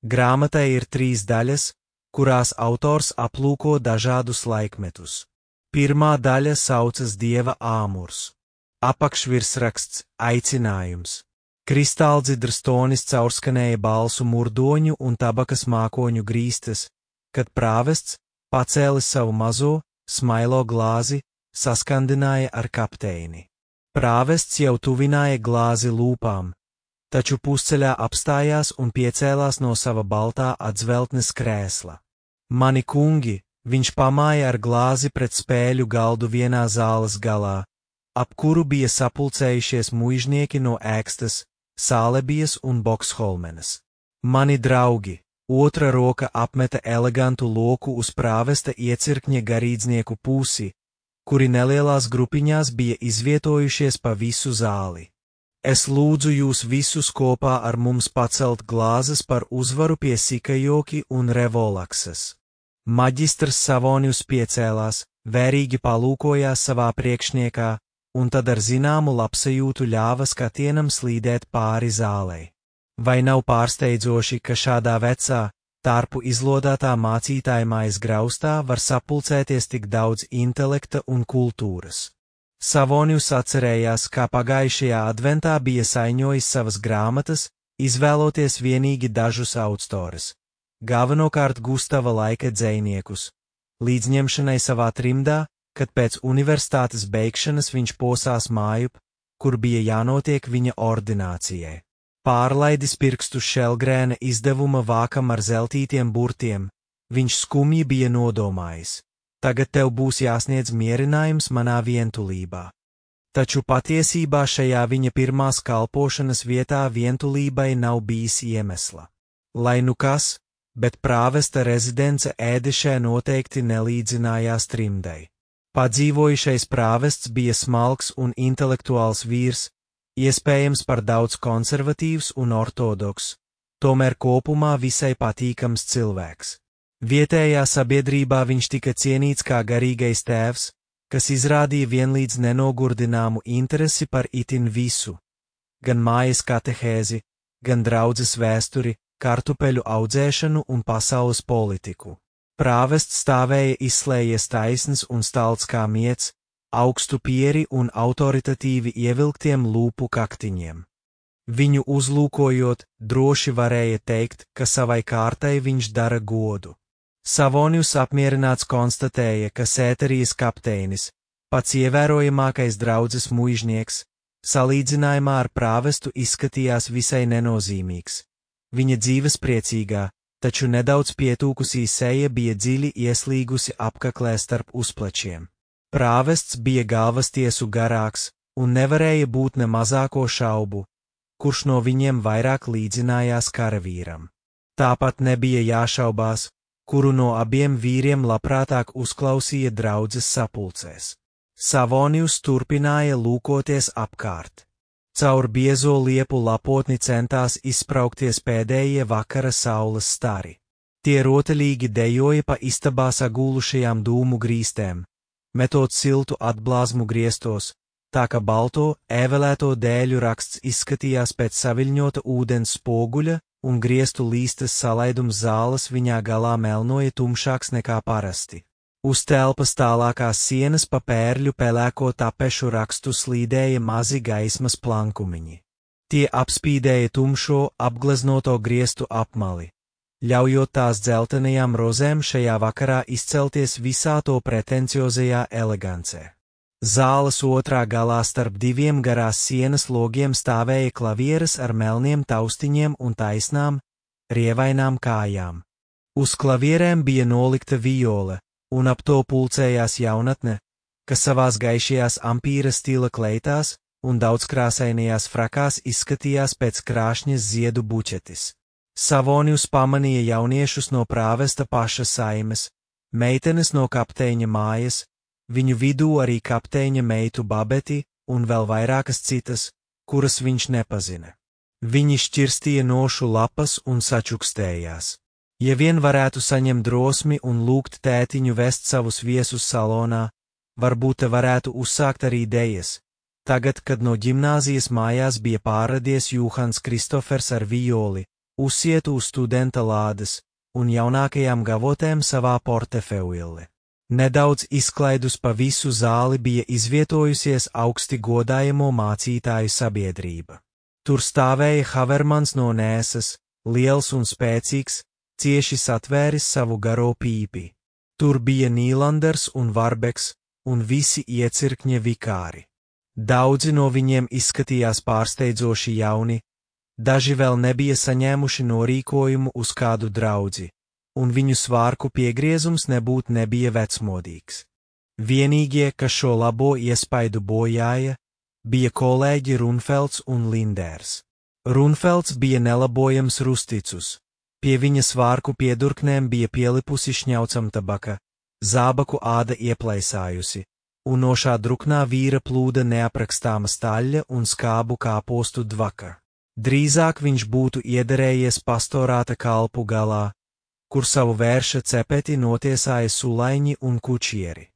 Grāmatai ir 3 daļas, kurās autors aplūko dažādus laikmetus. Pirmā daļa saucas Dieva āmurs. Apakšvirsraksts – aicinājums. Kristāldzidras tonis caurskanēja balsu murdoņu un tabakas mākoņu grīstas, kad prāvests, pacēlis savu mazo, smailo glāzi, saskandināja ar kapteini. Prāvests jau tuvināja glāzi lūpām, taču pusceļā apstājās un piecēlās no sava baltā atzveltnes krēsla. Mani kungi, viņš pamāja ar glāzi pret spēļu galdu vienā zāles galā, ap kuru bija sapulcējušies muižnieki no Ēkstas, Sālebijas un Boksholmenas. Mani draugi, otra roka apmeta elegantu loku uz prāvesta iecirkņa garīdznieku pusi, kuri nelielās grupiņās bija izvietojušies pa visu zāli. Es lūdzu jūs visus kopā ar mums pacelt glāzes par uzvaru pie Sikajoki un Revolaksas. Maģistrs Savonius piecēlās, vērīgi palūkojās savā priekšniekā, un tad ar zināmu labsajūtu ļāva skatienam slīdēt pāri zālei. Vai nav pārsteidzoši, ka šādā vecā, tārpu izlodātā mācītājmājas graustā var sapulcēties tik daudz intelekta un kultūras? Savonius atcerējās, kā pagājušajā adventā bija saiņojis savas grāmatas, izvēloties vienīgi dažus autorus, galvenokārt Gustava laika dzejniekus, līdzņemšanai savā trimdā, kad pēc universitātes beigšanas viņš posās mājup, kur bija jānotiek viņa ordinācijai. Pārlaidis pirkstu Šelgrēna izdevuma vākam ar zeltītiem burtiem, viņš skumji bija nodomājis: tagad tev būs jāsniedz mierinājums manā vientulībā. Taču patiesībā šajā viņa pirmās kalpošanas vietā vientulībai nav bijis iemesla. Lai nu kas, bet prāvesta rezidence Ēdešē noteikti nelīdzinājās trimdai. Padzīvojušais prāvests bija smalks un intelektuāls vīrs, iespējams par daudz konservatīvs un ortodoks, tomēr kopumā visai patīkams cilvēks. Vietējā sabiedrībā viņš tika cienīts kā garīgais tēvs, kas izrādīja vienlīdz nenogurdināmu interesi par itin visu, gan mājas katehēzi, gan draudzes vēsturi, kartupeļu audzēšanu un pasaules politiku. Prāvests stāvēja izslējies taisns un stalts kā miets, augstu pieri un autoritatīvi ievilktiem lūpu kaktiņiem. Viņu uzlūkojot, droši varēja teikt, ka savai kārtai viņš dara godu. Savonius apmierināts konstatēja, ka Sēterijas kapteinis, pats ievērojamākais draudzes muižnieks, salīdzinājumā ar prāvestu izskatījās visai nenozīmīgs. Viņa dzīves priecīgā, taču nedaudz pietūkusī seja bija dziļi ieslīgusi apkaklē starp uzplečiem. Prāvests bija galvastiesu garāks, un nevarēja būt ne mazāko šaubu, kurš no viņiem vairāk līdzinājās karavīram. Tāpat nebija jāšaubās, kuru no abiem vīriem labprātāk uzklausīja draudzes sapulcēs. Savonius turpināja lūkoties apkārt. Caur biezo liepu lapotni centās izspraukties pēdējie vakara saules stari. Tie rotaļīgi dejoja pa istabā sagūlušajām dūmu grīstēm, metot siltu atblāzmu griestos, tā ka balto, ēvelēto dēļu raksts izskatījās pēc saviļņota ūdens spoguļa, un griestu līstes salaidums zāles viņā galā melnoja tumšāks nekā parasti. Uz telpas tālākās sienas pa pērļu pelēko tapešu rakstu slīdēja mazi gaismas plankumiņi. Tie apspīdēja tumšo, apgleznoto griestu apmali, ļaujot tās dzeltenajām rozēm šajā vakarā izcelties visā to pretenciozajā elegancē. Zāles otrā galā starp diviem garās sienas logiem stāvēja klavieres ar melniem taustiņiem un taisnām, rievainām kājām. Uz klavierēm bija nolikta viole, un ap to pulcējās jaunatne, kas savās gaišajās ampīra stila kleitās un daudzkrāsainajās frakās izskatījās pēc krāšņas ziedu buķetis. Savonius pamanīja jauniešus no prāvesta paša saimes, meitenes no kapteiņa mājas, viņu vidū arī kapteiņa meitu Babeti un vēl vairākas citas, kuras viņš nepazina. Viņi šķirstīja nošu lapas un sačukstējās. Ja vien varētu saņemt drosmi un lūgt tētiņu vest savus viesus salonā, varbūt te varētu uzsākt arī dejas. Tagad, kad no ģimnāzijas mājās bija pārradies Jūhans Kristofers ar violi, uzsietu uz studenta lādes un jaunākajām gavotēm savā portefeuille. Nedaudz izklaidus pa visu zāli bija izvietojusies augsti godājamo mācītāju sabiedrība. Tur stāvēja Havermans no Nēsas, liels un spēcīgs, cieši satvēris savu garo pīpi. Tur bija Nīlanders un Varbeks un visi iecirkņa vikāri. Daudzi no viņiem izskatījās pārsteidzoši jauni, daži vēl nebija saņēmuši norīkojumu uz kādu draudzi, un viņu svārku piegriezums nebija vecmodīgs. Vienīgie, kas šo labo iespaidu bojāja, bija kolēģi Runfelds un Linders. Runfelds bija nelabojams rusticus, pie viņa svārku piedurknēm bija pielipusi šņaucam tabaka, zābaku āda ieplaisājusi, un no šā druknā vīra plūda neaprakstāma staļļa un skābu kāpostu dvaka. Drīzāk viņš būtu iederējies pastorāta kalpu galā, kur savu vērša cepeti notiesāja sulaiņi un kučieri.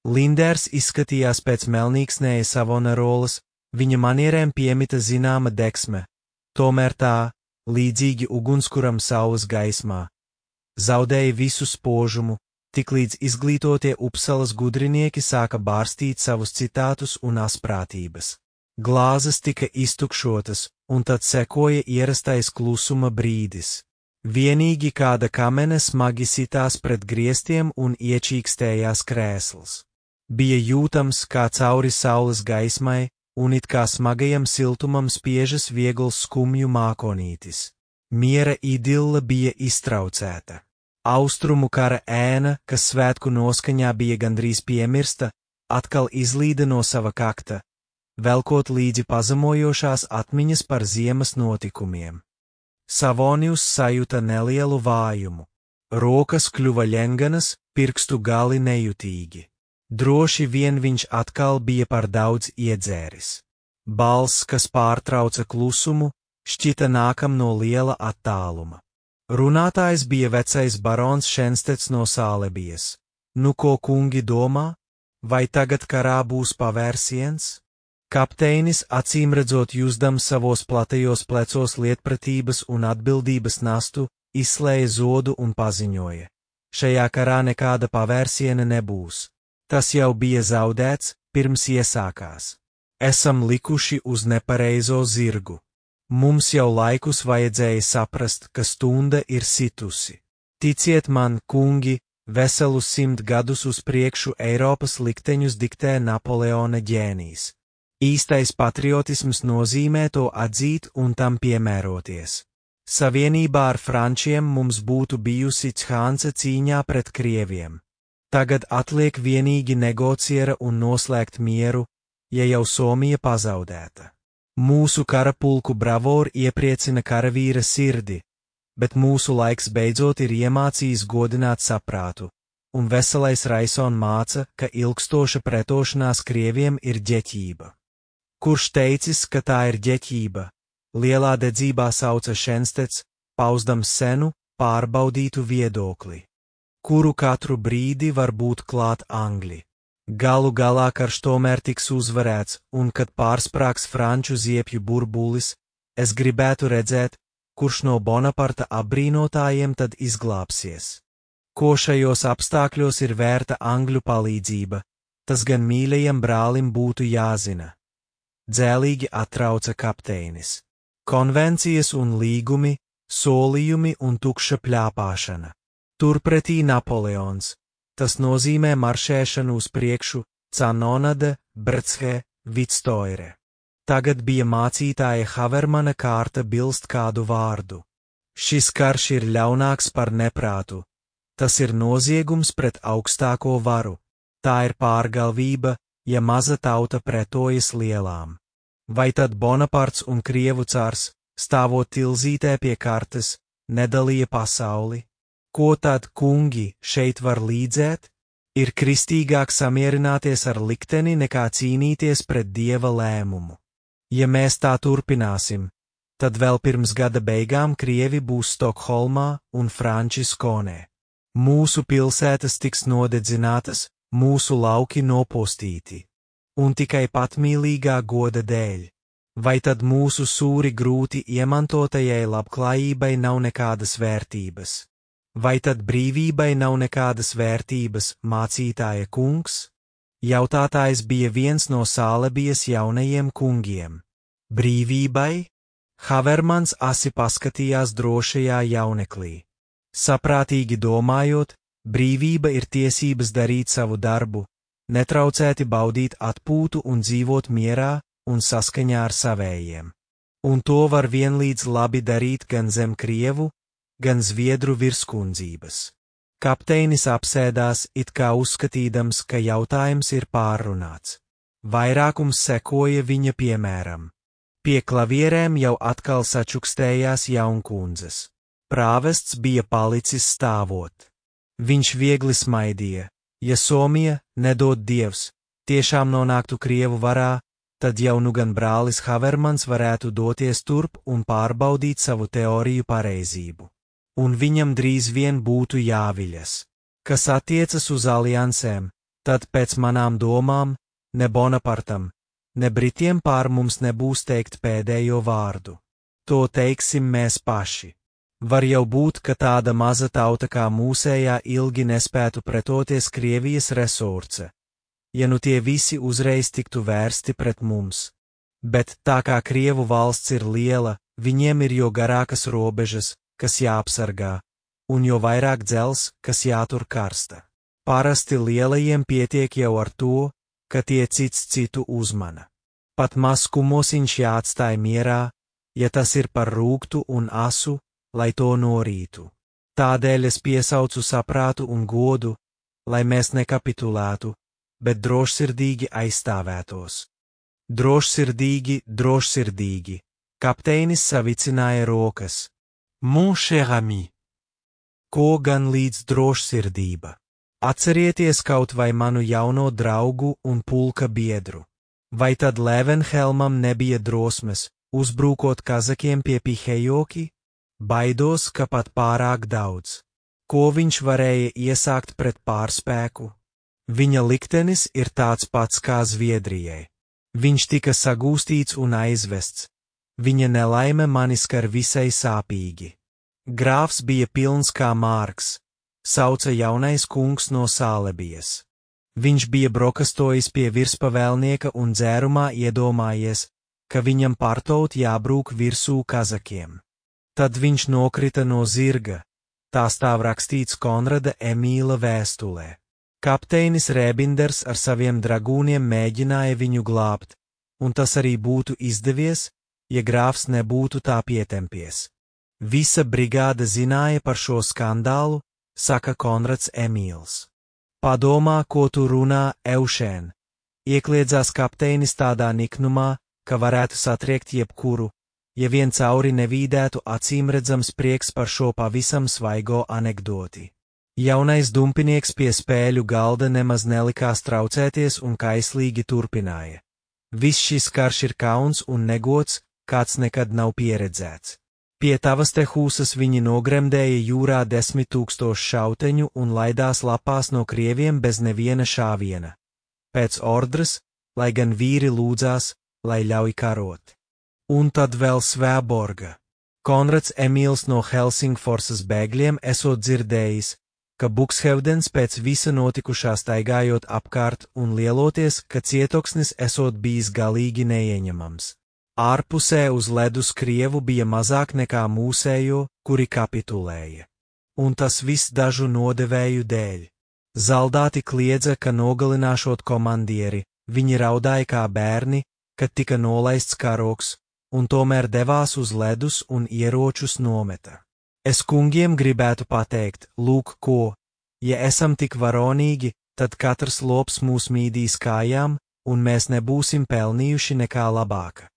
Linders izskatījās pēc melnīksnēja Savonarolas, viņa manierēm piemita zināma deksme, tomēr tā, līdzīgi ugunskuram saules gaismā, zaudēja visu spožumu, tiklīdz izglītotie Upsalas gudrinieki sāka bārstīt savus citātus un asprātības. Glāzes tika iztukšotas, un tad sekoja ierastais klusuma brīdis. Vienīgi kāda kamene smagi sitās pret griestiem un iečīkstējās krēsls. Bija jūtams, kā cauri saules gaismai, un it kā smagajam siltumam spiežas viegls skumju mākonītis. Miera idilla bija iztraucēta. Austrumu kara ēna, kas svētku noskaņā bija gandrīz piemirsta, atkal izlīda no sava kakta, velkot līdzi pazemojošās atmiņas par ziemas notikumiem. Savonius sajuta nelielu vājumu. Rokas kļuva ļenganas, pirkstu gali nejutīgi. Droši vien viņš atkal bija par daudz iedzēris. Balss, kas pārtrauca klusumu, šķita nākam no liela attāluma. Runātājs bija vecais barons Šenstets no Sālebijas. Nu, ko kungi domā? Vai tagad karā būs pavērsiens? Kapteinis, acīmredzot jūzdams savos platajos plecos lietpratības un atbildības nastu, izslēja zodu un paziņoja: šajā karā nekāda pavērsiena nebūs. Tas jau bija zaudēts, pirms iesākās. Esam likuši uz nepareizo zirgu. Mums jau laikus vajadzēja saprast, ka stunda ir situsi. Ticiet man, kungi, veselus 100 gadus uz priekšu Eiropas likteņus diktē Napoleona ģēnijs. Īstais patriotisms nozīmē to atzīt un tam piemēroties. Savienībā ar frančiem mums būtu bijusi Chance cīņā pret krieviem. Tagad atliek vienīgi negociera un noslēgt mieru, ja jau Somija pazaudēta. Mūsu karapulku bravūra iepriecina karavīra sirdi, bet mūsu laiks beidzot ir iemācījis godināt saprātu, un veselais Raison māca, ka ilgstoša pretošanās krieviem ir ģeķība. Kurš teicis, ka tā ir ģeķība? Lielā dedzībā sauca Šenstets, pauzdams senu, pārbaudītu viedokli, kuru katru brīdi var būt klāt Angļi. Galu galā karš tomēr tiks uzvarēts, un kad pārsprāgs franču ziepju burbulis, es gribētu redzēt, kurš no Bonaparta apbrīnotājiem tad izglābsies. Ko šajos apstākļos ir vērta Angļu palīdzība, tas gan mīļajam brālim būtu jāzina. Dzēlīgi atrauca kapteinis. Konvencijas un līgumi, solījumi un tukša pļāpāšana. Turpretī Napoleons. Tas nozīmē maršēšanu uz priekšu, Canonade, Brdshe, Vitstoire. Tagad bija mācītāja Havermana kārta bilst kādu vārdu. Šis karš ir ļaunāks par neprātu. Tas ir noziegums pret augstāko varu. Tā ir pārgalvība, ja maza tauta pretojas lielām. Vai tad Bonaparts un Krievu cārs, stāvot tilzītē pie kartes, nedalīja pasauli? Ko tad, kungi, šeit var līdzēt? Ir kristīgāk samierināties ar likteni nekā cīnīties pret Dieva lēmumu. Ja mēs tā turpināsim, tad vēl pirms gada beigām Krievi būs Stokholmā un franči Skonē. Mūsu pilsētas tiks nodedzinātas, mūsu lauki nopostīti. Un tikai patmīlīgā goda dēļ. Vai tad mūsu sūri grūti iemantotajai labklājībai nav nekādas vērtības? Vai tad brīvībai nav nekādas vērtības, mācītāja kungs? Jautātājs bija viens no Sālebijas jaunajiem kungiem. Brīvībai? Havermans asi paskatījās drošajā jauneklī. Saprātīgi domājot, brīvība ir tiesības darīt savu darbu, netraucēti baudīt atpūtu un dzīvot mierā un saskaņā ar savējiem. Un to var vienlīdz labi darīt gan zem krievu, gan zviedru virskundzības. Kapteinis apsēdās, it kā uzskatīdams, ka jautājums ir pārrunāts. Vairākums sekoja viņa piemēram. Pie klavierēm jau atkal sačukstējās jaunkundzes. Prāvests bija palicis stāvot. Viņš viegli smaidīja. Ja Somija, nedod Dievs, tiešām nonāktu Krievu varā, tad jau nu gan brālis Havermans varētu doties turp un pārbaudīt savu teoriju pareizību. Un viņam drīz vien būtu jāviļas. Kas attiecas uz aliansēm, tad pēc manām domām, ne Bonapartam, ne Britiem pār mums nebūs teikt pēdējo vārdu. To teiksim mēs paši. Var jau būt, ka tāda maza tauta kā mūsējā ilgi nespētu pretoties Krievijas resurce, ja nu tie visi uzreiz tiktu vērsti pret mums. Bet tā kā Krievu valsts ir liela, viņiem ir jo garākas robežas, kas jāapsargā, un jo vairāk dzels, kas jātur karsta. Parasti lielajiem pietiek jau ar to, ka tie cits citu uzmana. Pat maz kumosiņš jāatstāj mierā, ja tas ir par rūgtu un asu, lai to norītu. Tādēļ es piesaucu saprātu un godu, lai mēs nekapitulētu, bet drošsirdīgi aizstāvētos. Drošsirdīgi, drošsirdīgi, kapteinis savicināja rokas. Mon cher ami. Ko gan līdz drošsirdība? Atcerieties kaut vai manu jauno draugu un pulka biedru. Vai tad Levenhelmam nebija drosmes, uzbrūkot kazakiem pie Pihejoki? Baidos, ka pat pārāk daudz. Ko viņš varēja iesākt pret pārspēku? Viņa liktenis ir tāds pats kā Zviedrijai. Viņš tika sagūstīts un aizvests. Viņa nelaime mani skar visai sāpīgi. Grāfs bija pilns kā Mārks, sauca jaunais kungs no Sālebijas. Viņš bija brokastojis pie virspavēlnieka un dzērumā iedomājies, ka viņam pārtaut jābrūk virsū kazakiem. Tad viņš nokrita no zirga, tā stāv rakstīts Konrada Emīla vēstulē. Kapteinis Rēbinders ar saviem dragūniem mēģināja viņu glābt, un tas arī būtu izdevies, ja grāfs nebūtu tā pietempies. Visa brigāde zināja par šo skandālu, saka Konrads Emīls. Padomā, ko tu runā, Eušēn, iekliedzās kapteinis tādā niknumā, ka varētu satriekt jebkuru, ja vien cauri nevīdētu acīmredzams prieks par šo pavisam svaigo anekdoti. Jaunais dumpinieks pie spēļu galda nemaz nelikās traucēties un kaislīgi turpināja. Viss šis karš ir kauns un negods, kāds nekad nav pieredzēts. Pie tavas te hūsas viņi nogremdēja jūrā 10 000 šauteņu un laidās lapās no krieviem bez neviena šāviena. Pēc ordres, lai gan vīri lūdzās, lai ļauj karot. Un tad vēl Svēborga. Konrads Emīls no Helsingforsas bēgļiem esot dzirdējis, ka Bukshevdens pēc visa notikušā staigājot apkārt un lieloties, ka cietoksnis esot bijis galīgi neieņemams. Ārpusē uz ledus Krievu bija mazāk nekā mūsējo, kuri kapitulēja. Un tas viss dažu nodevēju dēļ. Zaldāti kliedza, ka nogalināšot komandieri, viņi raudāja kā bērni, kad tika nolaists karoks, un tomēr devās uz ledus un ieročus nometa. Es kungiem gribētu pateikt, lūk ko, ja esam tik varonīgi, tad katrs lops mūs mīdīs kājām, un mēs nebūsim pelnījuši nekā labāka.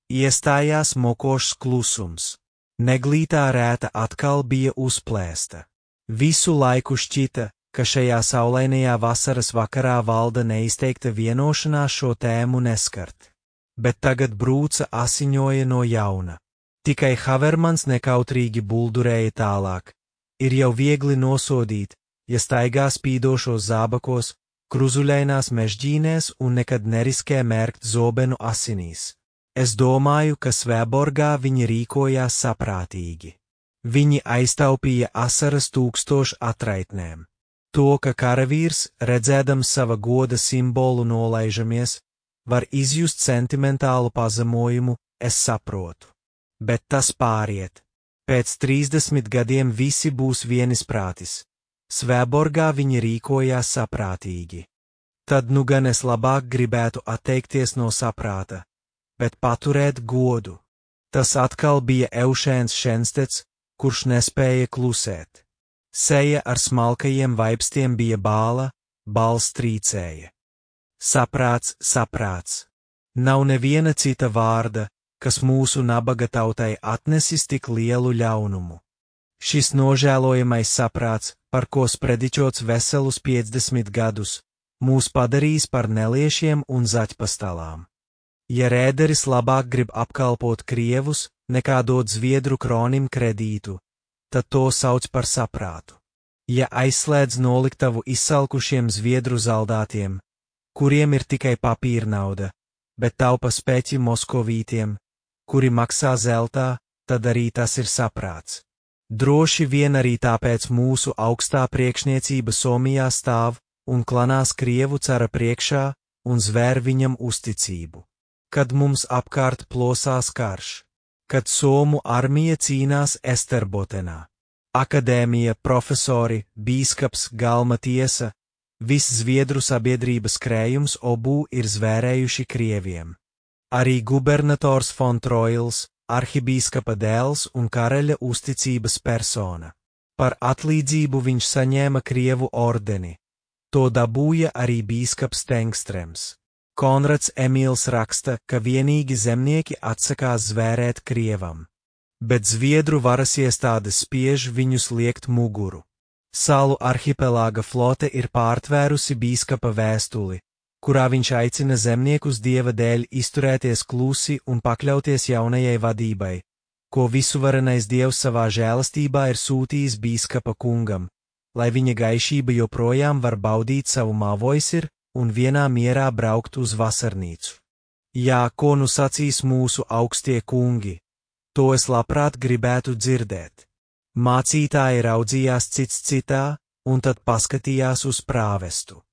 Iestājās mokošs klusums. Neglītā rēta atkal bija uzplēsta. Visu laiku šķita, ka šajā saulainajā vasaras vakarā valda neizteikta vienošanās šo tēmu neskart. Bet tagad brūce asiņoja no jauna. Tikai Havermans nekautrīgi buldurēja tālāk. Ir jau viegli nosodīt, ja staigā spīdošos zābakos, kruzuļainās mežģīnēs un nekad neriskē mērkt zobenu asinīs. Es domāju, ka Svētborgā viņi rīkojās saprātīgi. Viņi aiztaupīja asaras 1000 atraitnēm. To, ka karavīrs, redzēdams sava goda simbolu nolaižamies, var izjust sentimentālu pazemojumu, es saprotu. Bet tas pāriet. Pēc 30 gadiem visi būs vienisprātis. Svētborgā viņi rīkojās saprātīgi. Tad nu gan es labāk gribētu atteikties no saprāta, bet paturēt godu. Tas atkal bija Eušēns Šenstets, kurš nespēja klusēt. Seja ar smalkajiem vaibstiem bija bāla, balss trīcēja. Saprāts, saprāts. Nav neviena cita vārda, kas mūsu nabaga tautai atnesis tik lielu ļaunumu. Šis nožēlojamais saprāts, par ko sprediķots veselus 50 gadus, mūs padarīs par neliešiem un zaķpastalām. Ja rēderis labāk grib apkalpot krievus, nekā dot zviedru kronim kredītu, tad to sauc par saprātu. Ja aizslēdz noliktavu izsalkušiem zviedru zaldātiem, kuriem ir tikai papīra nauda, bet taupa speķi moskovītiem, kuri maksā zeltā, tad arī tas ir saprāts. Droši vien arī tāpēc mūsu augstā priekšniecība Somijā stāv un klanās krievu cara priekšā un zvēr viņam uzticību. Kad mums apkārt plosās karš, kad Somu armija cīnās Esterbotenā, akadēmija, profesori, bīskaps, galma tiesa, viss zviedru sabiedrības krējums obū ir zvērējuši krieviem. Arī gubernators Fon Troils, arhibīskapa dēls un karaļa uzticības persona. Par atlīdzību viņš saņēma krievu ordeni. To dabūja arī bīskaps Tengstrems. Konrads Emīls raksta, ka vienīgi zemnieki atsakās zvērēt krievam. Bet zviedru varas iestādes spiež viņus liekt muguru. Salu arhipelāga flote ir pārtvērusi bīskapa vēstuli, kurā viņš aicina zemniekus dieva dēļ izturēties klusi un pakļauties jaunajai vadībai, ko visuvarenais dievs savā žēlastībā ir sūtījis bīskapa kungam, lai viņa gaišība joprojām var baudīt savu māvoisir un vienā mierā braukt uz vasarnīcu. Jā, ko nu sacīs mūsu augstie kungi, to es labprāt gribētu dzirdēt. Mācītāji raudzījās cits citā, un tad paskatījās uz prāvestu.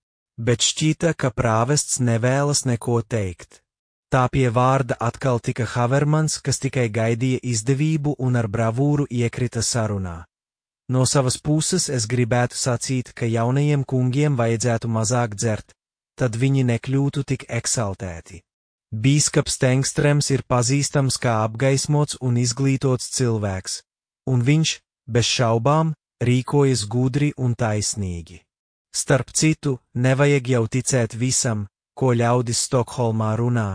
Bet šķita, ka prāvests nevēlas neko teikt. Tā pie vārda atkal tika Havermans, kas tikai gaidīja izdevību un ar bravūru iekrita sarunā. No savas puses es gribētu sacīt, ka jaunajiem kungiem vajadzētu mazāk dzert, tad viņi nekļūtu tik eksaltēti. Bīskaps Tengstrems ir pazīstams kā apgaismots un izglītots cilvēks, un viņš, bez šaubām, rīkojas gudri un taisnīgi. Starp citu, nevajag jau ticēt visam, ko ļaudis Stokholmā runā,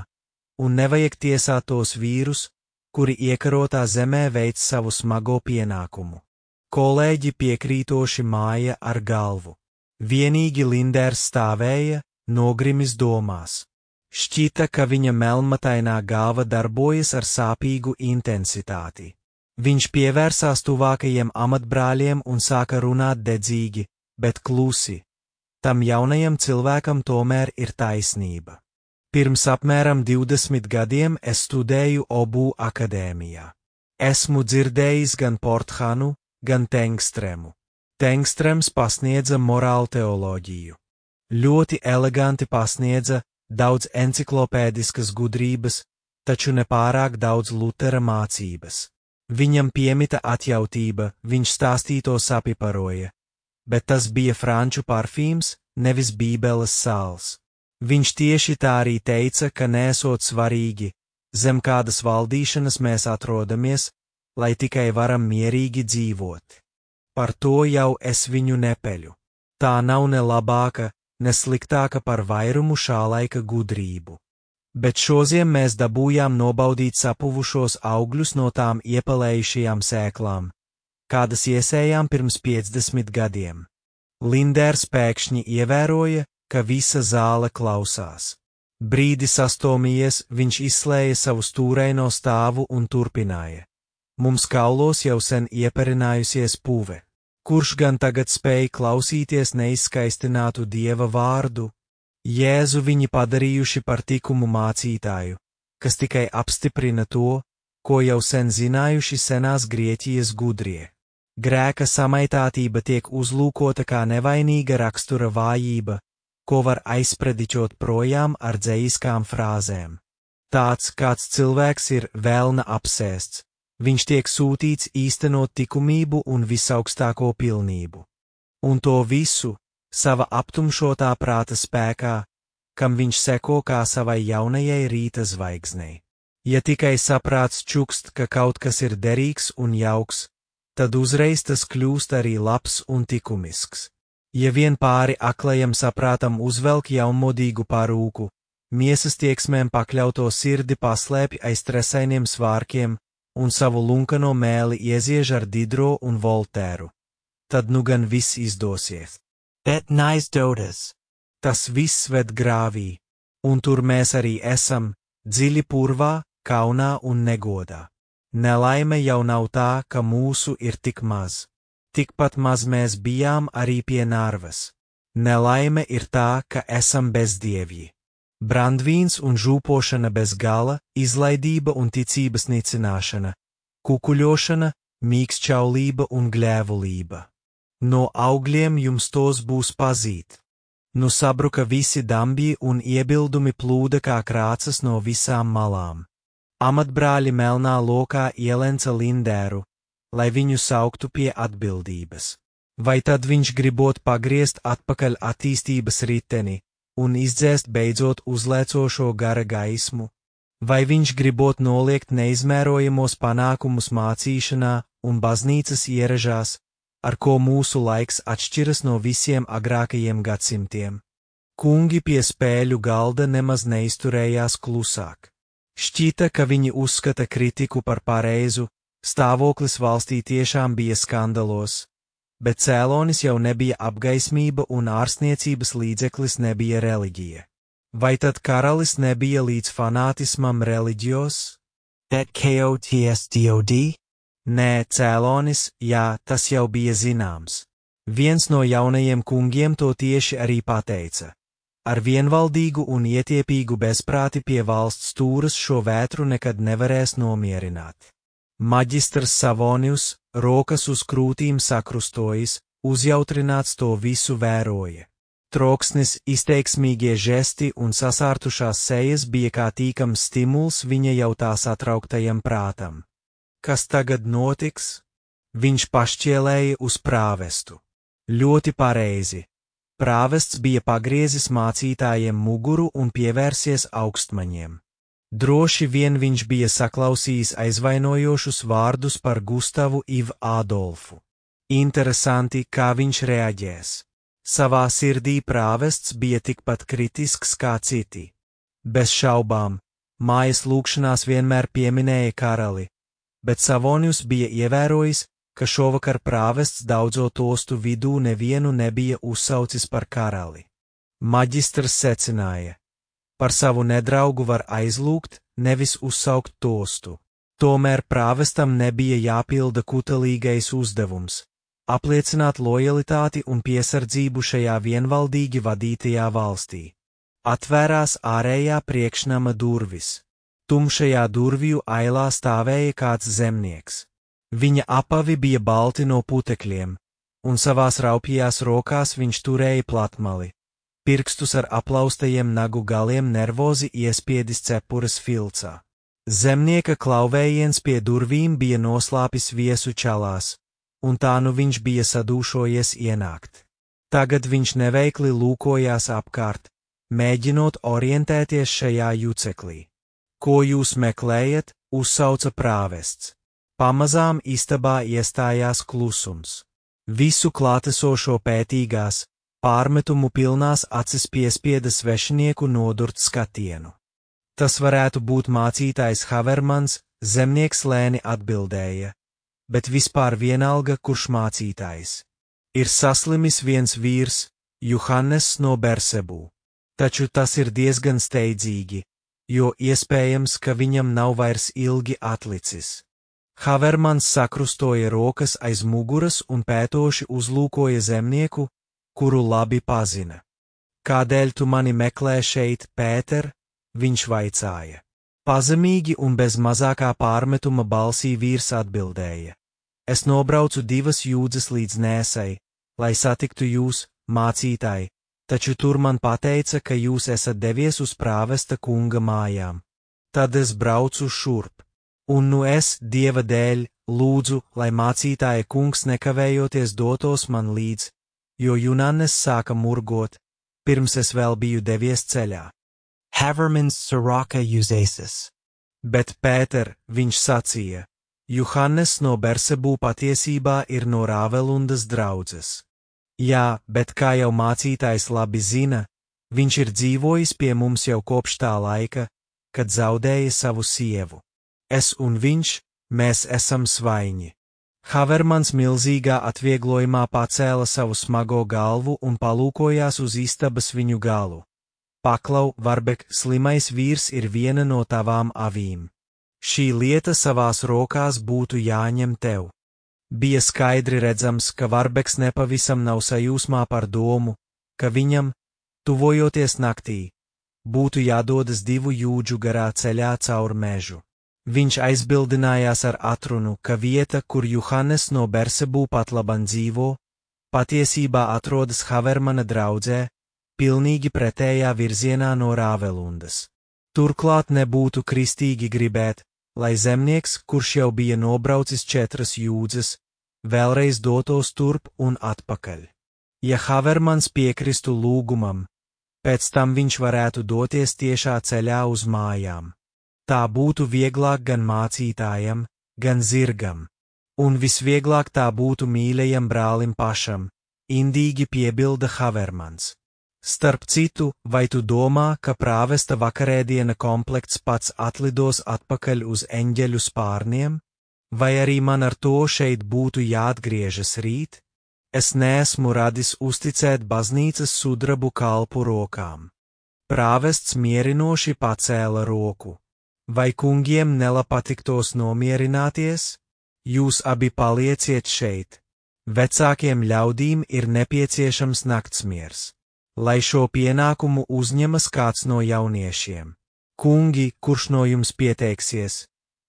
un nevajag tiesāt tos vīrus, kuri iekarotā zemē veic savu smago pienākumu. Kolēģi piekrītoši māja ar galvu. Vienīgi Linders stāvēja, nogrimis domās. Šķita, ka viņa melnmatainā galva darbojas ar sāpīgu intensitāti. Viņš pievērsās tuvākajiem amatbrāļiem un sāka runāt dedzīgi, bet klusi. Tam jaunajam cilvēkam tomēr ir taisnība. Pirms apmēram 20 gadiem es studēju Obū akadēmijā. Esmu dzirdējis gan Porthanu, gan Tengstremu. Tengstrems pasniedza morālu teoloģiju. Ļoti eleganti pasniedza, daudz enciklopēdiskas gudrības, taču nepārāk daudz Lutera mācības. Viņam piemita atjautība, viņš stāstīto sapiparoja, bet tas bija franču parfīms, nevis bībeles sāls. Viņš tieši tā arī teica, ka nesot svarīgi, zem kādas valdīšanas mēs atrodamies, lai tikai varam mierīgi dzīvot. Par to jau es viņu nepeļu. Tā nav ne labāka, ne sliktāka par vairumu šā laika gudrību. Bet šoziem mēs dabūjām nobaudīt sapuvušos augļus no tām iepelējušajām sēklām, kādas iesējām pirms 50 gadiem. Linders pēkšņi ievēroja, ka visa zāle klausās. Brīdi sastomījies, viņš izslēja savu stūraino stāvu un turpināja. Mums kaulos jau sen ieperinājusies puve. Kurš gan tagad spēja klausīties neizskaistinātu Dieva vārdu? Jēzu viņi padarījuši par tikumu mācītāju, kas tikai apstiprina to, ko jau sen zinājuši senās Grieķijas gudrie. Grēka samaitātība tiek uzlūkota kā nevainīga rakstura vājība, ko var aizprediķot projām ar dzejiskām frāzēm. Tāds, kāds cilvēks ir velna apsēsts, viņš tiek sūtīts īstenot likumību un visaugstāko pilnību. Un to visu sava aptumšotā prāta spēkā, kam viņš seko kā savai jaunajai rīta zvaigznei. Ja tikai saprāts čukst, ka kaut kas ir derīgs un jauks, tad uzreiz tas kļūst arī labs un likumisks. Ja vien pāri aklajam saprātam uzvelk jaunmodīgu parūku, miesas tieksmēm pakļauto sirdi paslēpj aiz tresainiem svārkiem un savu lunkano mēli ieziež ar Didro un Voltēru, tad nu gan viss izdosies. Bet neizdodas. Tas viss ved grāvī, un tur mēs arī esam, dziļi purvā, kaunā un negodā. Nelaime jau nav tā, ka mūsu ir tik maz. Tikpat maz mēs bijām arī pie Narvas. Nelaime ir tā, ka esam bezdievji. Brandvīns un žūpošana bez gala, izlaidība un ticības nicināšana, kukuļošana, mīkšķaulība un gļēvulība. No augļiem jums tos būs pazīt. Nu sabruka visi dambji un iebildumi plūda kā krācas no visām malām. Amatbrāļi melnā lokā ielenca Lindēru, lai viņu sauktu pie atbildības. Vai tad viņš gribot pagriezt atpakaļ attīstības riteni un izdzēst beidzot uzlēcošo gara gaismu? Vai viņš gribot noliegt neizmērojamos panākumus mācīšanā un baznīcas ieražās, ar ko mūsu laiks atšķiras no visiem agrākajiem gadsimtiem? Kungi pie spēļu galda nemaz neizturējās klusāk. Šķita, ka viņi uzskata kritiku par pareizu, stāvoklis valstī tiešām bija skandalos, bet cēlonis jau nebija apgaismība un ārstniecības līdzeklis nebija reliģija. Vai tad karalis nebija līdz fanātismam reliģijos? KOTSDOD? Nē, cēlonis, jā, tas jau bija zināms. Viens no jaunajiem kungiem to tieši arī pateica. Ar vienvaldīgu un ietiepīgu bezprāti pie valsts stūras šo vētru nekad nevarēs nomierināt. Maģistrs Savonius, rokas uz krūtīm sakrustojis, uzjautrināts to visu vēroja. Troksnis, izteiksmīgie žesti un sasārtušās sejas bija kā tīkams stimuls viņa jau tā satrauktajam prātam. Kas tagad notiks? Viņš pašķielēja uz prāvestu. Ļoti pareizi. Prāvests bija pagriezis mācītājiem muguru un pievērsies augstmaņiem. Droši vien viņš bija saklausījis aizvainojošus vārdus par Gustavu Ivu Ādolfu. Interesanti, kā viņš reaģēs. Savā sirdī prāvests bija tikpat kritisks kā citi. Bez šaubām, mājas lūgšanās vienmēr pieminēja karali, bet Savonius bija ievērojis, ka šovakar prāvests daudzo tostu vidū nevienu nebija uzsaucis par karali. Maģistrs secināja: par savu nedraugu var aizlūgt, nevis uzsaukt tostu. Tomēr prāvestam nebija jāpilda kutelīgais uzdevums – apliecināt lojalitāti un piesardzību šajā vienvaldīgi vadītajā valstī. Atvērās ārējā priekšnama durvis. Tumšajā durvju ailā stāvēja kāds zemnieks. Viņa apavi bija balti no putekļiem, un savās raupjās rokās viņš turēja platmali, pirkstus ar aplaustajiem nagu galiem nervozi iespiedis cepures filcā. Zemnieka klauvējiens pie durvīm bija noslāpis viesu čalās, un tā nu viņš bija sadūšojies ienākt. Tagad viņš neveikli lūkojās apkārt, mēģinot orientēties šajā juceklī. Ko jūs meklējat? Uzsauca prāvests. Pamazām istabā iestājās klusums. Visu klātesošo pētīgās, pārmetumu pilnās acis piespieda svešinieku nodurt skatienu. Tas varētu būt mācītājs Havermans, zemnieks lēni atbildēja, bet vispār vienalga, kurš mācītājs. Ir saslimis viens vīrs, Johannes no Bersebū. Taču tas ir diezgan steidzīgi, jo iespējams, ka viņam nav vairs ilgi atlicis. Havermans sakrustoja rokas aiz muguras un pētoši uzlūkoja zemnieku, kuru labi pazina. Kādēļ tu mani meklē šeit, Pēter? Viņš vaicāja. Pazemīgi un bez mazākā pārmetuma balsī vīrs atbildēja: Es nobraucu 2 jūdzes līdz Nēsai, lai satiktu jūs, mācītāji, taču tur man pateica, ka jūs esat devies uz prāvesta kunga mājām. Tad es braucu šurp. Un nu es, Dieva dēļ, lūdzu, lai mācītāja kungs nekavējoties dotos man līdz, jo Junannes sāka murgot, pirms es vēl biju devies ceļā. Havermans Siraka Juzesis. Bet Pēter, viņš sacīja, Juhannes no Bersebū patiesībā ir no Rāvelundas draudzes. Jā, bet kā jau mācītājs labi zina, viņš ir dzīvojis pie mums jau kopš tā laika, kad zaudēja savu sievu. Es un viņš, mēs esam svaiņi. Havermans milzīgā atvieglojumā pacēla savu smago galvu un palūkojās uz istabas viņu galu. Paklau, Varbek, slimais vīrs ir viena no tavām avīm. Šī lieta savās rokās būtu jāņem tev. Bija skaidri redzams, ka Varbeks nepavisam nav sajūsmā par domu, ka viņam, tuvojoties naktī, būtu jādodas 2 jūdžu garā ceļā caur mežu. Viņš aizbildinājās ar atrunu, ka vieta, kur Juhannes no Bersebū patlaban dzīvo, patiesībā atrodas Havermana draudzē, pilnīgi pretējā virzienā no Rāvelundas. Turklāt nebūtu kristīgi gribēt, lai zemnieks, kurš jau bija nobraucis 4 jūdzes, vēlreiz dotos turp un atpakaļ. Ja Havermans piekristu lūgumam, pēc tam viņš varētu doties tiešā ceļā uz mājām. Tā būtu vieglāk gan mācītājam, gan zirgam, un visvieglāk tā būtu mīļajam brālim pašam, indīgi piebilda Havermans. Starp citu, vai tu domā, ka prāvesta vakarēdiena komplekts pats atlidos atpakaļ uz eņģeļu spārniem? Vai arī man ar to šeit būtu jāatgriežas rīt? Es neesmu radis uzticēt baznīcas sudrabu kalpu rokām. Prāvests mierinoši pacēla roku. Vai kungiem nelapatiktos nomierināties? Jūs abi palieciet šeit. Vecākiem ļaudīm ir nepieciešams naktsmiers. Lai šo pienākumu uzņemas kāds no jauniešiem. Kungi, kurš no jums pieteiksies?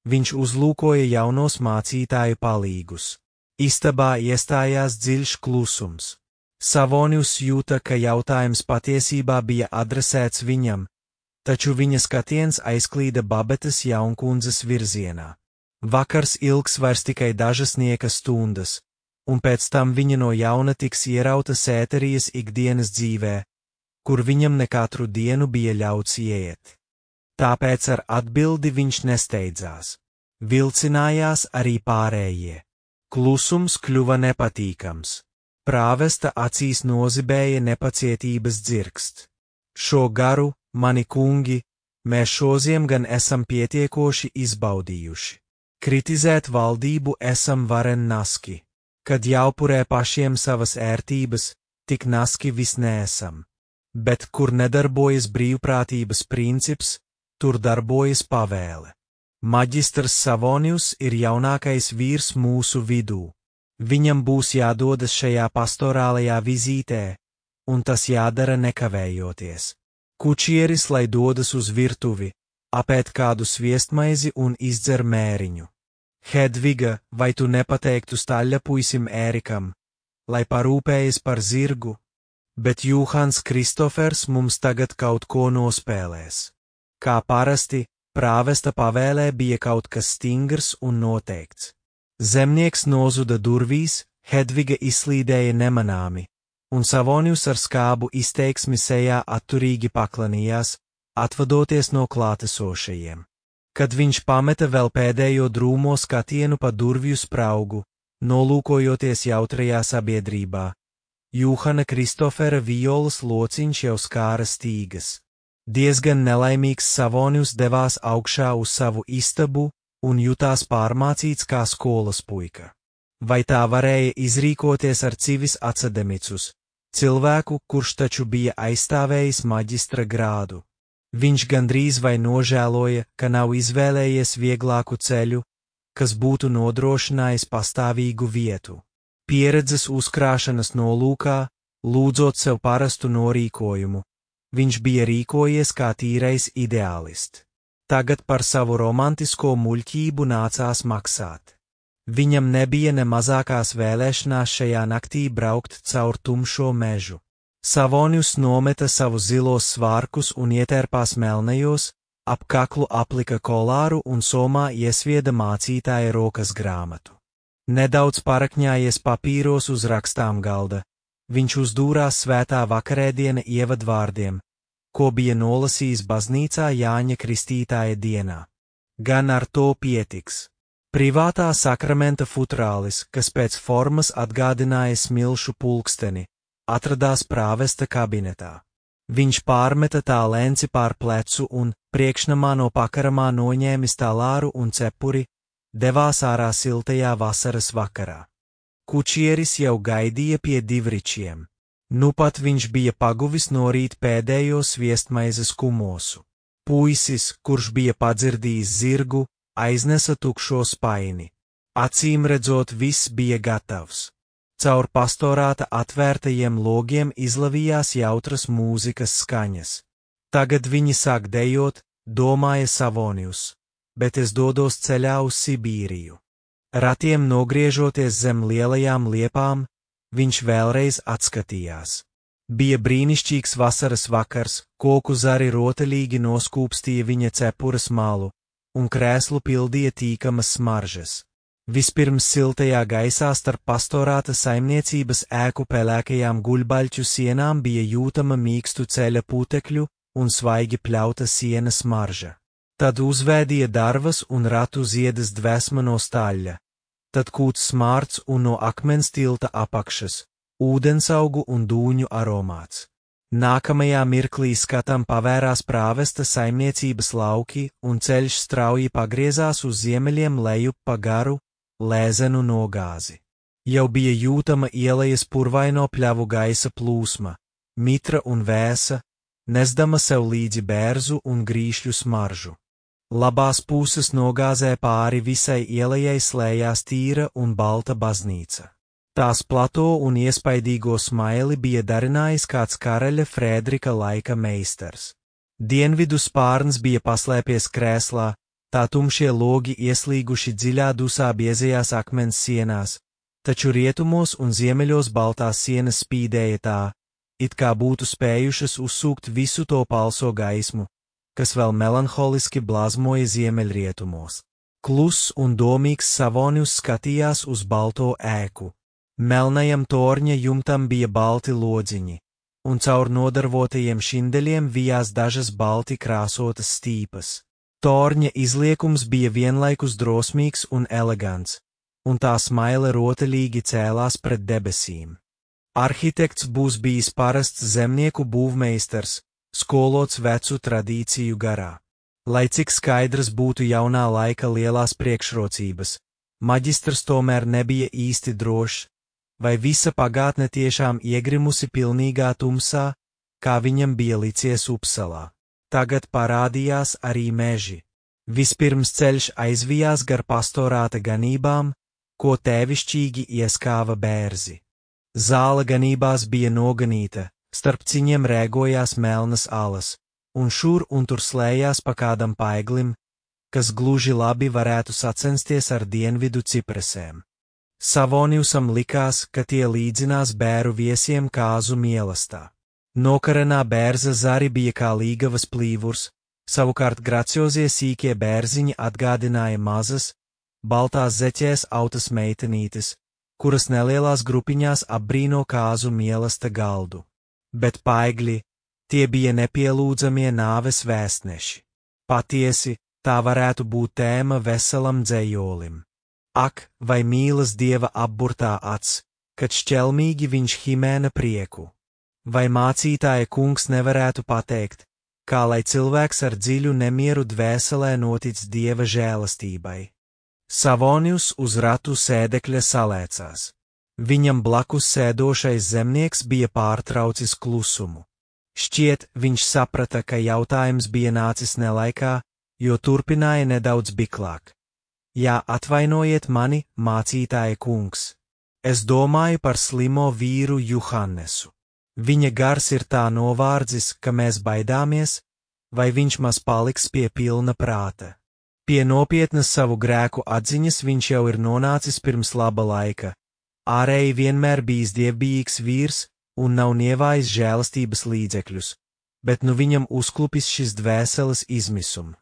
Viņš uzlūkoja jaunos mācītāju palīgus. Istabā iestājās dziļš klusums. Savonius jūta, ka jautājums patiesībā bija adresēts viņam, taču viņa skatiens aizklīda Babetes jaunkundzes virzienā. Vakars ilgs vairs tikai dažas nieka stundas, un pēc tam viņa no jauna tiks ierauta Sēterijas ikdienas dzīvē, kur viņam ne katru dienu bija ļauts ieiet. Tāpēc ar atbildi viņš nesteidzās. Vilcinājās arī pārējie. Klusums kļuva nepatīkams. Prāvesta acīs nozibēja nepacietības dzirksts. Šo garu, mani kungi, mēs šodien gan esam pietiekoši izbaudījuši. Kritizēt valdību esam varen naski. Kad jāupurē pašiem savas ērtības, tik naski vis neesam. Bet kur nedarbojas brīvprātības princips, tur darbojas pavēle. Maģistrs Savonius ir jaunākais vīrs mūsu vidū. Viņam būs jādodas šajā pastorālajā vizītē, un tas jādara nekavējoties. Kučieris, lai dodas uz virtuvi, apēd kādu sviestmaizi un izdzer mēriņu. Hedviga, vai tu nepateiktu staļļapuisim Ērikam, lai parūpējas par zirgu? Bet Juhans Kristofers mums tagad kaut ko nospēlēs. Kā parasti, prāvesta pavēlē bija kaut kas stingrs un noteikts. Zemnieks nozuda durvīs, Hedviga izslīdēja nemanāmi, un Savonius ar skābu izteiksmi sejā atturīgi paklanījās, atvadoties no klātesošajiem. Kad viņš pameta vēl pēdējo drūmo skatienu pa durvju spraugu, nolūkojoties jautrajā sabiedrībā, Juhana Kristofera violas lociņš jau skāra stīgas. Diezgan nelaimīgs Savonius devās augšā uz savu istabu un jutās pārmācīts kā skolas puika. Vai tā varēja izrīkoties ar civis academicus, cilvēku, kurš taču bija aizstāvējis maģistra grādu? Viņš gandrīz vai nožēloja, ka nav izvēlējies vieglāku ceļu, kas būtu nodrošinājis pastāvīgu vietu. Pieredzes uzkrāšanas nolūkā, lūdzot sev parastu norīkojumu, viņš bija rīkojies kā tīrais ideālists. Tagad par savu romantisko muļķību nācās maksāt. Viņam nebija ne mazākās vēlēšanās šajā naktī braukt caur tumšo mežu. Savonius nometa savus zilos svārkus un ietērpās melnajos, ap kaklu aplika kolāru un somā iesvieda mācītāja rokas grāmatu. Nedaudz parakņājies papīros uz rakstām galda, viņš uzdūrās svētā vakarēdiena ievadvārdiem, ko bija nolasījis baznīcā Jāņa Kristītāja dienā. Gan ar to pietiks. Privātā sakramenta futrālis, kas pēc formas atgādināja smilšu pulksteni, atradās prāvesta kabinetā. Viņš pārmeta tā lenci pār plecu un, priekšnamā no pakaramā noņēmis talāru un cepuri, devās ārā siltajā vasaras vakarā. Kučieris jau gaidīja pie divričiem. Nu pat viņš bija paguvis norīt pēdējo sviestmaizes kumosu. Puisis, kurš bija padzirdījis zirgu, aiznesa tukšo spaini. Acīm redzot, viss bija gatavs. Caur pastorāta atvērtajiem logiem izlavījās jautras mūzikas skaņas. Tagad viņi sāk dejot, domāja Savonius, bet es dodos ceļā uz Sibīriju. Ratiem nogriežoties zem lielajām liepām, viņš vēlreiz atskatījās. Bija brīnišķīgs vasaras vakars, koku zari rotaļīgi noskūpstīja viņa cepures malu, un krēslu pildīja tīkamas smaržas. Vispirms siltajā gaisā starp pastorāta saimniecības ēku pelēkajām guļbaļķu sienām bija jūtama mīkstu ceļa putekļu un svaigi pļauta sienas smarža. Tad uzvēdīja darvas un ratu ziedas dvēsma no staļļa, tad kūts smārds un no akmens tilta apakšas, ūdensaugu un dūņu aromāts. Nākamajā mirklī skatam pavērās prāvesta saimniecības lauki un ceļš strauji pagriezās uz ziemeļiem lejup pa garu, lēzenu nogāzi. Jau bija jūtama ielejas purvaino pļavu gaisa plūsma, mitra un vēsa, nesdama sev līdzi bērzu un grīšļu smaržu. Labās puses nogāzē pāri visai ielejai slējās tīra un balta baznīca. Tās plato un iespaidīgo smaili bija darinājis kāds karaļa Frēdrika laika meistars. Dienvidu spārns bija paslēpies krēslā, tā tumšie logi ieslīguši dziļā dusā biezajās akmens sienās, taču rietumos un ziemeļos baltās sienas spīdēja tā, it kā būtu spējušas uzsūkt visu to palso gaismu, kas vēl melanholiski blazmoja ziemeļrietumos. Kluss un domīgs Savonius skatījās uz balto ēku. Melnajam torņa jumtam bija balti lodziņi, un caur nodarvotajiem šindeļiem vijās dažas balti krāsotas stīpas. Torņa izliekums bija vienlaikus drosmīgs un elegants, un tā smaile rotaļīgi cēlās pret debesīm. Arhitekts būs bijis parasts zemnieku būvmeistars, skolots vecu tradīciju garā. Lai cik skaidrs būtu jaunā laika lielās priekšrocības, maģistrs tomēr nebija īsti drošs, vai visa pagātne tiešām iegrimusi pilnīgā tumsā, kā viņam bija licies Upsalā. Tagad parādījās arī meži. Vispirms ceļš aizvijās gar pastorāta ganībām, ko tēvišķīgi ieskāva bērzi. Zāle ganībās bija noganīta, starp ciņiem rēgojās melnas alas, un šur un tur slējās pa kādam paiglim, kas gluži labi varētu sacensties ar dienvidu cipresēm. Savoniusam likās, ka tie līdzinās bēru viesiem kāzu mielastā. Nokarenā bērza zari bija kā līgavas plīvurs, savukārt graciozie sīkie bērziņi atgādināja mazas, baltās zeķēs autas meitenītes, kuras nelielās grupiņās apbrīno kāzu mielasta galdu. Bet paigļi, tie bija nepielūdzamie nāves vēstneši. Patiesi, tā varētu būt tēma veselam dzējolim. Ak, vai mīlas dieva apburtā acs, kad šķelmīgi viņš himēna prieku. Vai mācītāja kungs nevarētu pateikt, kā lai cilvēks ar dziļu nemieru dvēselē notic dieva žēlastībai? Savonius uz ratu sēdekļa salēcās. Viņam blakus sēdošais zemnieks bija pārtraucis klusumu. Šķiet, viņš saprata, ka jautājums bija nācis nelaikā, jo turpināja nedaudz biklāk. Jā, atvainojiet mani, mācītāja kungs. Es domāju par slimo vīru Juhannesu. Viņa gars ir tā novārdzis, ka mēs baidāmies, vai viņš maz paliks pie pilna prāta. Pie nopietnas savu grēku atziņas viņš jau ir nonācis pirms laba laika. Ārēji vienmēr bijis dievbijīgs vīrs un nav nievājis žēlastības līdzekļus, bet nu viņam uzklupis šis dvēseles izmisums.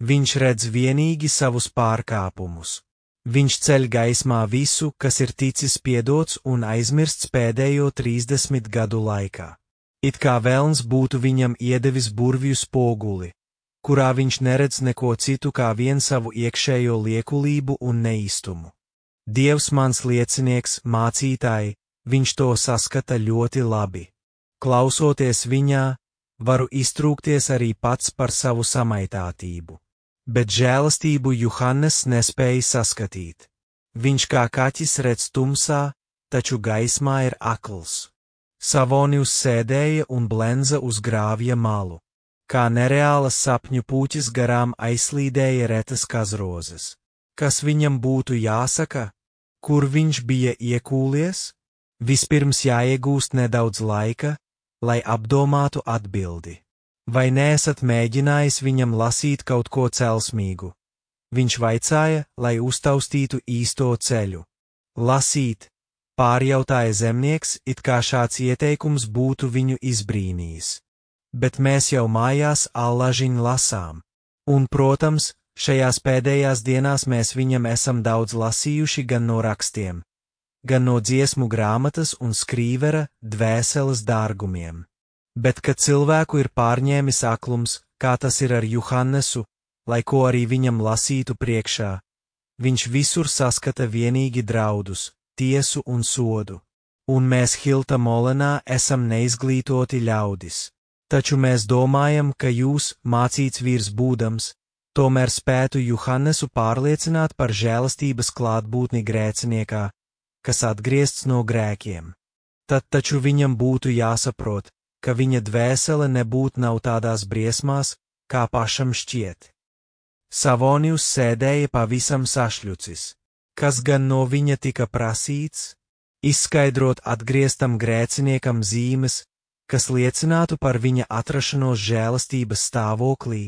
Viņš redz vienīgi savus pārkāpumus. Viņš ceļ gaismā visu, kas ir ticis piedots un aizmirsts pēdējo 30 gadu laikā. It kā velns būtu viņam iedevis burvju spoguli, kurā viņš neredz neko citu kā vien savu iekšējo liekulību un neīstumu. Dievs mans liecinieks, mācītāji, viņš to saskata ļoti labi. Klausoties viņā, varu iztrūkties arī pats par savu samaitātību. Bet žēlastību Juhannes nespēja saskatīt. Viņš kā kaķis redz tumsā, taču gaismā ir akls. Savonijus sēdēja un blenza uz grāvja malu. Kā nereālas sapņu puķis garām aizslīdēja retas kazrozes. Kas viņam būtu jāsaka? Kur viņš bija iekūlies? Vispirms jāiegūst nedaudz laika, lai apdomātu atbildi. Vai neesat mēģinājis viņam lasīt kaut ko celsmīgu? Viņš vaicāja, lai uztaustītu īsto ceļu. Lasīt, pārjautāja zemnieks, it kā šāds ieteikums būtu viņu izbrīnījis. Bet mēs jau mājās allažiņ lasām. Un, protams, šajās pēdējās dienās mēs viņam esam daudz lasījuši gan no rakstiem, gan no dziesmu grāmatas un skrīvera dvēseles dārgumiem. Bet, kad cilvēku ir pārņēmis aklums, kā tas ir ar Juhannesu, lai ko arī viņam lasītu priekšā, viņš visur saskata vienīgi draudus, tiesu un sodu. Un mēs Hilta Molenā esam neizglītoti ļaudis. Taču mēs domājam, ka jūs, mācīts vīrs būdams, tomēr spētu Juhannesu pārliecināt par žēlastības klātbūtni grēciniekā, kas atgriezts no grēkiem. Tad taču viņam būtu jāsaprot, ka viņa dvēsele nebūtu nav tādās briesmās, kā pašam šķiet. Savonijus sēdēja pavisam sašļucis. Kas gan no viņa tika prasīts? Izskaidrot atgrieztam grēciniekam zīmes, kas liecinātu par viņa atrašanos žēlastības stāvoklī.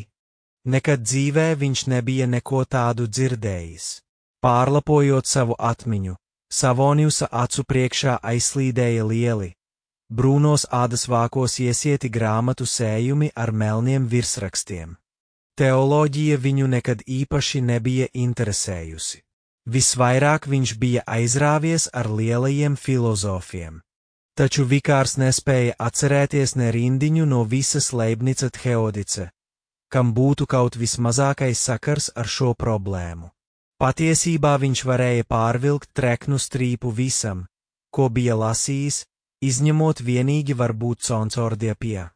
Nekad dzīvē viņš nebija neko tādu dzirdējis. Pārlapojot savu atmiņu, Savonijusa acu priekšā aizslīdēja lieli, brūnos ādas vākos iesieti grāmatu sējumi ar melniem virsrakstiem. Teoloģija viņu nekad īpaši nebija interesējusi. Visvairāk viņš bija aizrāvies ar lielajiem filozofiem. Taču vikārs nespēja atcerēties ne rindiņu no visas Leibnica Theodice, kam būtu kaut vismazākais sakars ar šo problēmu. Patiesībā viņš varēja pārvilkt treknu strīpu visam, ko bija lasījis, izņemot vienīgi varbūt Concordiapia.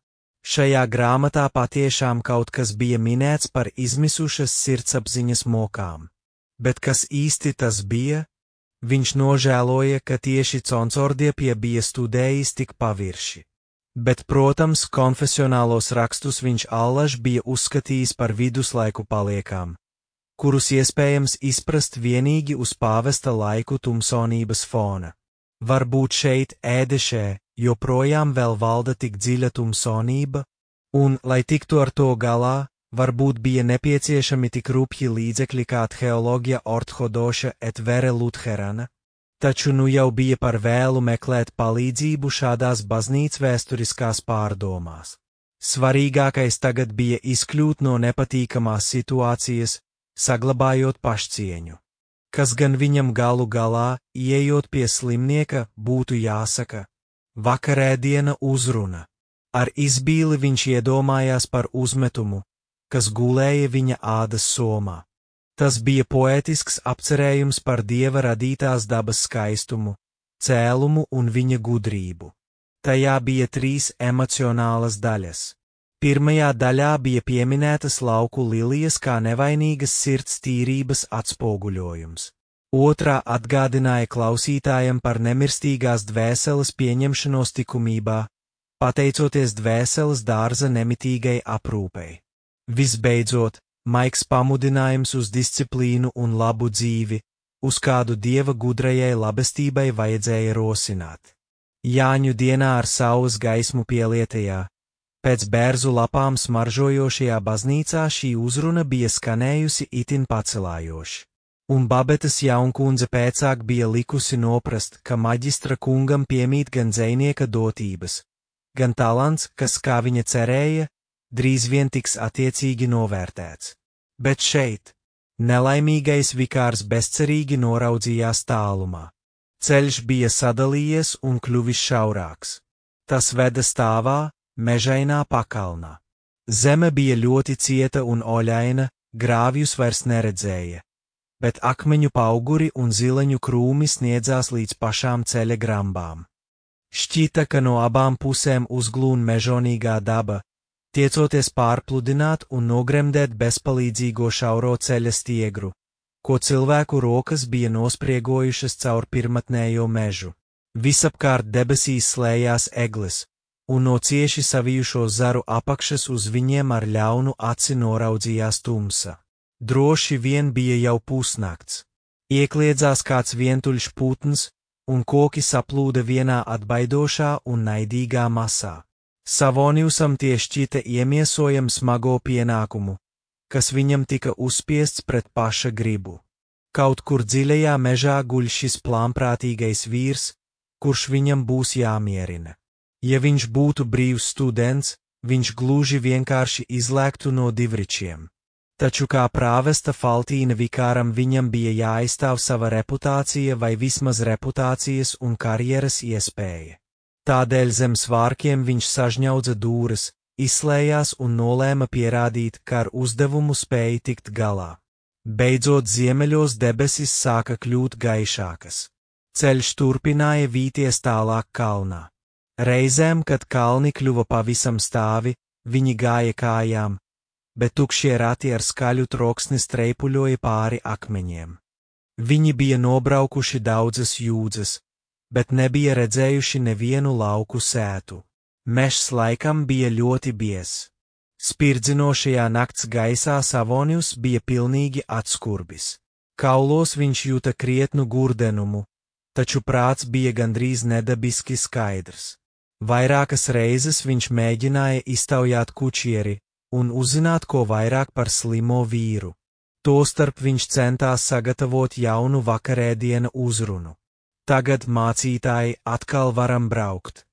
Šajā grāmatā patiešām kaut kas bija minēts par izmisušas sirdsapziņas mokām. Bet kas īsti tas bija? Viņš nožēloja, ka tieši Concordiapia bija studējis tik pavirši. Bet, protams, konfesionālos rakstus viņš allaž bija uzskatījis par viduslaiku paliekām, kurus iespējams izprast vienīgi uz pāvesta laiku tumsonības fona. Varbūt šeit, Ēdešē, joprojām vēl valda tik dziļa tumsonība, un, lai tiktu ar to galā, varbūt bija nepieciešami tik rupji līdzekļi kā Theologia orthodoša et vere Lutherana, taču nu jau bija par vēlu meklēt palīdzību šādās baznīcas vēsturiskās pārdomās. Svarīgākais tagad bija izkļūt no nepatīkamās situācijas, saglabājot pašcieņu. Kas gan viņam galu galā, ieejot pie slimnieka, būtu jāsaka? Vakarēdiena uzruna. Ar izbīli viņš iedomājās par uzmetumu, kas gulēja viņa ādas somā. Tas bija poētisks apcerējums par Dieva radītās dabas skaistumu, cēlumu un viņa gudrību. Tajā bija 3 emocionālas daļas. Pirmajā daļā bija pieminētas lauku lilijas kā nevainīgas sirds tīrības atspoguļojums. Otrā atgādināja klausītājam par nemirstīgās dvēseles pieņemšanos likumībā, pateicoties dvēseles dārza nemitīgai aprūpei. Visbeidzot, maigs pamudinājums uz disciplīnu un labu dzīvi, uz kādu Dieva gudrajai labestībai vajadzēja rosināt. Jāņu dienā ar saules gaismu pielietajā, Pēc bērzu lapām smaržojošajā baznīcā šī uzruna bija skanējusi itin pacelājoši. Un Babetas jaunkundze pēcāk bija likusi noprast, ka maģistra kungam piemīt gan dzejnieka dotības, gan talants, kas, kā viņa cerēja, drīz vien tiks attiecīgi novērtēts. Bet šeit nelaimīgais vikārs bezcerīgi noraudzījās tālumā. Ceļš bija sadalījies un kļuvis šaurāks. Tas veda stāvā, mežainā pakalnā. Zeme bija ļoti cieta un oļaina, grāvjus vairs neredzēja, bet akmeņu pauguri un zileņu krūmi sniedzās līdz pašām ceļa grambām. Šķita, ka no abām pusēm uzglūn mežonīgā daba, tiecoties pārpludināt un nogremdēt bezpalīdzīgo šauro ceļa stiegru, ko cilvēku rokas bija nospriegojušas caur pirmatnējo mežu. Visapkārt debesīs slējās egles, un no cieši savijušo zaru apakšas uz viņiem ar ļaunu aci noraudzījās tumsa. Droši vien bija jau pusnakts. Iekliedzās kāds vientuļš putns, un koki saplūda vienā atbaidošā un naidīgā masā. Savoniusam tie šķita iemiesojam smago pienākumu, kas viņam tika uzspiests pret paša gribu. Kaut kur dziļajā mežā guļ šis plānprātīgais vīrs, kurš viņam būs jāmierina. Ja viņš būtu brīvs students, viņš gluži vienkārši izlēktu no divričiem. Taču kā prāvesta Faltīna vikāram viņam bija jāaizstāv sava reputācija vai vismaz reputācijas un karjeras iespēja. Tādēļ zem svārkiem viņš sažņaudza dūres, izslējās un nolēma pierādīt, ka ar uzdevumu spēja tikt galā. Beidzot ziemeļos debesis sāka kļūt gaišākas. Ceļš turpināja vīties tālāk kalnā. Reizēm, kad kalni kļuva pavisam stāvi, viņi gāja kājām, bet tukšie rati ar skaļu troksni streipuļoja pāri akmeņiem. Viņi bija nobraukuši daudzas jūdzes, bet nebija redzējuši nevienu lauku sētu. Mežs laikam bija ļoti biezs. Spirdzinošajā nakts gaisā Savonius bija pilnīgi atskurbis. Kaulos viņš jūta krietnu gurdenumu, taču prāts bija gandrīz nedabiski skaidrs. Vairākas reizes viņš mēģināja iztaujāt kučieri un uzzināt ko vairāk par slimo vīru. Tostarp viņš centās sagatavot jaunu vakarēdiena uzrunu. Tagad, mācītāji, atkal varam braukt.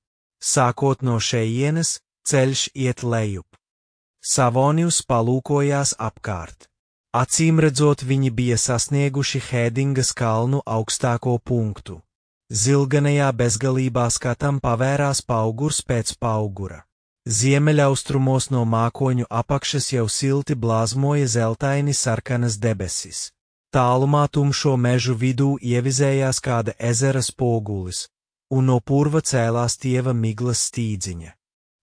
Sākot no šejienes, ceļš iet lejup. Savonius palūkojās apkārt. Acīmredzot, viņi bija sasnieguši Hēdingas kalnu augstāko punktu. Zilganajā bezgalībā skatam pavērās paugurs pēc paugura. Ziemeļaustrumos no mākoņu apakšas jau silti blāzmoja zeltaini sarkanas debesis. Tālumā tumšo mežu vidū ievizējās kāda ezera spogulis, un no purva cēlās tieva miglas stīdziņa.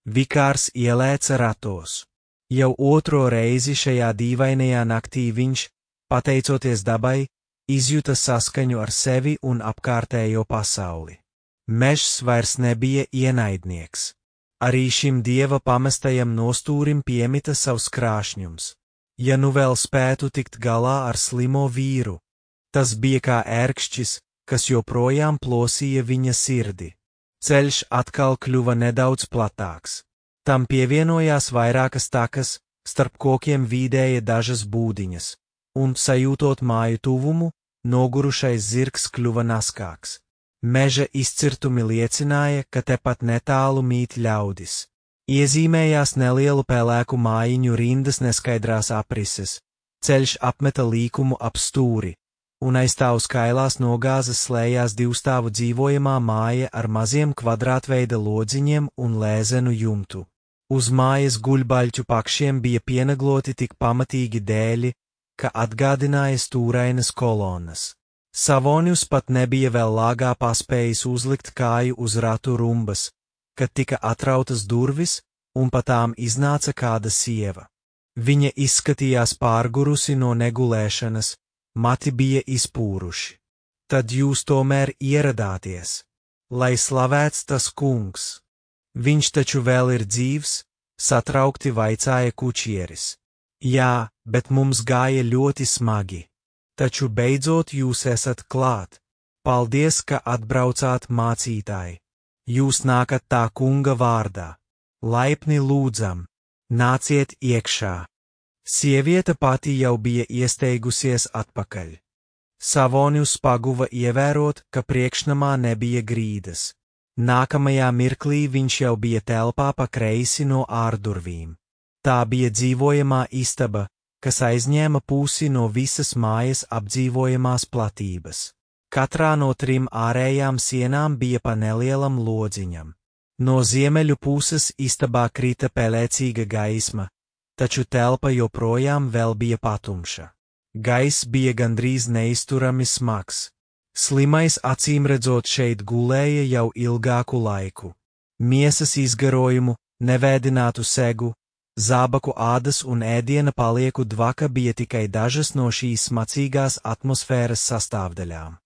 Vikārs ielēca ratos. Jau otro reizi šajā dīvainajā naktī viņš, pateicoties dabai, izjuta saskaņu ar sevi un apkārtējo pasauli. Mežs vairs nebija ienaidnieks. Arī šim dieva pamestajam nostūrim piemita savs krāšņums. Ja nu vēl spētu tikt galā ar slimo vīru, tas bija kā ērkšķis, kas joprojām plosīja viņa sirdi. Ceļš atkal kļuva nedaudz platāks. Tam pievienojās vairākas takas, starp kokiem vīdēja dažas būdiņas, un, sajūtot māju tuvumu, nogurušais zirgs kļuva naskāks. Meža izcirtumi liecināja, ka tepat netālu mīt ļaudis. Iezīmējās nelielu pelēku mājiņu rindas neskaidrās aprises, ceļš apmeta līkumu ap stūri, un aiz tā uz kailās nogāzes slējās divstāvu dzīvojamā māja ar maziem kvadrātveida lodziņiem un lēzenu jumtu. Uz mājas guļbaļķu pakšiem bija pienegloti tik pamatīgi dēļi, ka atgādināja stūrainas kolonas. Savonius pat nebija vēl lāgā paspējis uzlikt kāju uz ratu rumbas, kad tika atrautas durvis, un pa tām iznāca kāda sieva. Viņa izskatījās pārgurusi no negulēšanas, mati bija izpūruši. Tad jūs tomēr ieradāties. Lai slavēts tas kungs. Viņš taču vēl ir dzīvs, satraukti vaicāja kučieris. Jā, bet mums gāja ļoti smagi. Taču beidzot jūs esat klāt. Paldies, ka atbraucāt, mācītāji. Jūs nākat tā kunga vārdā. laipni lūdzam, nāciet iekšā. Sieviete pati jau bija iesteigusies atpakaļ. Savonius paguva ievērot, ka priekšnamā nebija grīdas. Nākamajā mirklī viņš jau bija telpā pa kreisi no ārdurvīm. Tā bija dzīvojamā istaba, kas aizņēma pusi no visas mājas apdzīvojamās platības. Katrā no 3 ārējām sienām bija pa nelielam lodziņam. No ziemeļu puses istabā krita pelēcīga gaisma, taču telpa joprojām vēl bija patumša. Gaiss bija gandrīz neizturami smags. Slimais acīmredzot šeit gulēja jau ilgāku laiku. Miesas izgarojumu, nevēdinātu segu, zābaku ādas un ēdiena palieku dvaka bija tikai dažas no šīs smacīgās atmosfēras sastāvdaļām.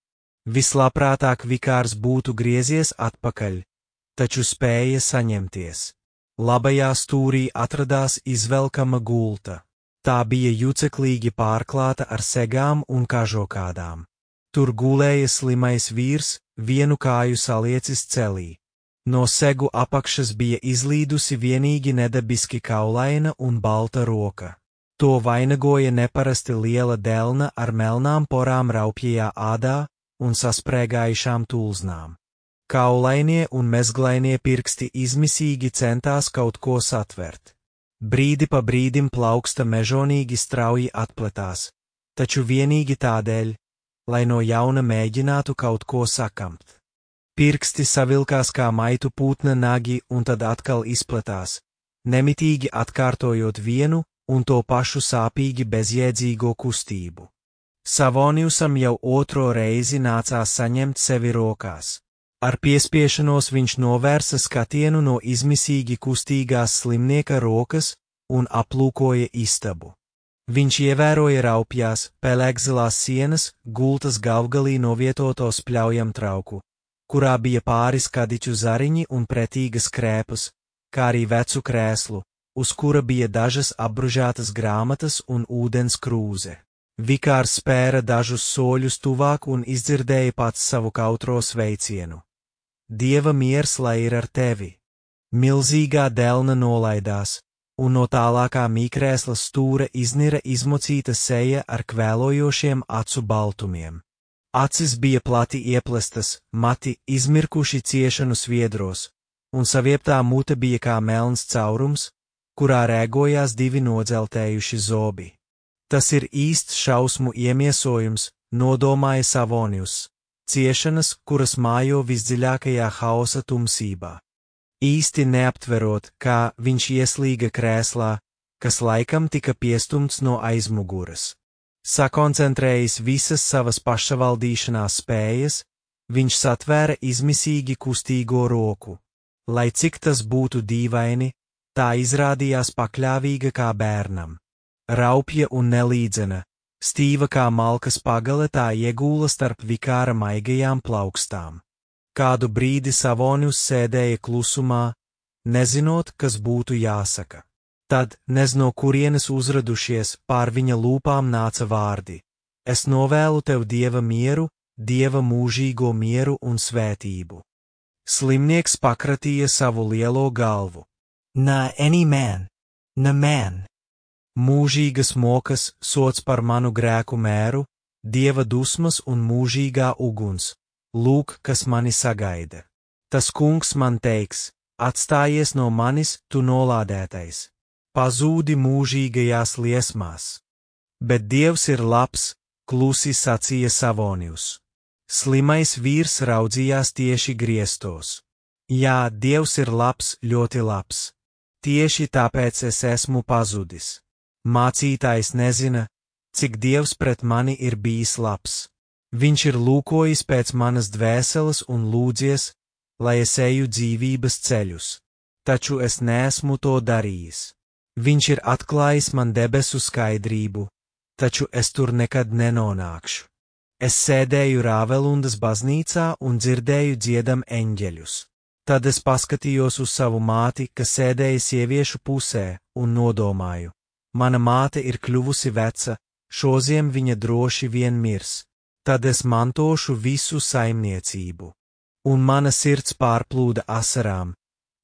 Vislabprātāk vikārs būtu griezies atpakaļ, taču spēja saņemties. Labajā stūrī atradās izvelkama gulta. Tā bija juceklīgi pārklāta ar segām un kažokādām. Tur gulēja slimais vīrs, vienu kāju saliecis celī. No segu apakšas bija izlīdusi vienīgi nedabiski kaulaina un balta roka. To vainagoja neparasti liela delna ar melnām porām raupjajā ādā un sasprēgājušām tulznām. Kaulainie un mezglainie pirksti izmisīgi centās kaut ko satvert. Brīdi pa brīdim plauksta mežonīgi strauji atpletās, taču vienīgi tādēļ, lai no jauna mēģinātu kaut ko sakamt. Pirksti savilkās kā maitu putna nagi un tad atkal izpletās, nemitīgi atkārtojot vienu un to pašu sāpīgi bezjēdzīgo kustību. Savoniusam jau otro reizi nācās saņemt sevi rokās. Ar piespiešanos viņš novērsa skatienu no izmisīgi kustīgās slimnieka rokas un aplūkoja istabu. Viņš ievēroja raupjās, pelēkzilās sienas, gultas galvgalī novietoto spļaujam trauku, kurā bija pāris kadiķu zariņi un pretīgas krēpus, kā arī vecu krēslu, uz kura bija dažas apbružātas grāmatas un ūdens krūze. Vikārs spēra dažus soļus tuvāk un izdzirdēja pats savu kautro sveicienu. Dieva miers lai ir ar tevi. Milzīgā delna nolaidās, un no tālākā mīkrēsla stūra iznira izmocīta seja ar kvēlojošiem acu baltumiem. Acis bija plati ieplestas, mati izmirkuši ciešanu sviedros, un savieptā mute bija kā melns caurums, kurā rēgojās 2 nodzeltējuši zobi. Tas ir īsts šausmu iemiesojums, nodomāja Savonius. Ciešanas, kuras mājo visdziļākajā haosa tumsībā. Īsti neaptverot, kā viņš ieslīga krēslā, kas laikam tika piestumts no aizmuguras. Sakoncentrējis visas savas pašavaldīšanās spējas, viņš satvēra izmisīgi kustīgo roku. Lai cik tas būtu dīvaini, tā izrādījās pakļāvīga kā bērnam. Raupja un nelīdzena, stīva kā malkas pagale tā iegūla starp vikāra maigajām plaukstām. Kādu brīdi Savonius sēdēja klusumā, nezinot, kas būtu jāsaka. Tad, nez no kurienes uzradušies, pār viņa lūpām nāca vārdi. Es novēlu tev Dieva mieru, Dieva mūžīgo mieru un svētību. Slimnieks pakratīja savu lielo galvu. Na any man, na man. Mūžīgas mokas, sots par manu grēku mēru, Dieva dusmas un mūžīgā uguns, lūk, kas mani sagaida. Tas kungs man teiks, atstājies no manis, tu nolādētais, pazūdi mūžīgajās liesmās. Bet Dievs ir labs, klusi sacīja Savonius. Slimais vīrs raudzījās tieši griestos. Jā, Dievs ir labs, ļoti labs. Tieši tāpēc es esmu pazudis. Mācītājs nezina, cik Dievs pret mani ir bijis labs. Viņš ir lūkojis pēc manas dvēseles un lūdzies, lai es eju dzīvības ceļus. Taču es neesmu to darījis. Viņš ir atklājis man debesu skaidrību, taču es tur nekad nenonākšu. Es sēdēju Rāvelundas baznīcā un dzirdēju dziedam eņģeļus. Tad es paskatījos uz savu māti, kas sēdēja sieviešu pusē, un nodomāju. Mana māte ir kļuvusi veca, šoziem viņa droši vien mirs. Tad es mantošu visu saimniecību. Un mana sirds pārplūda asarām,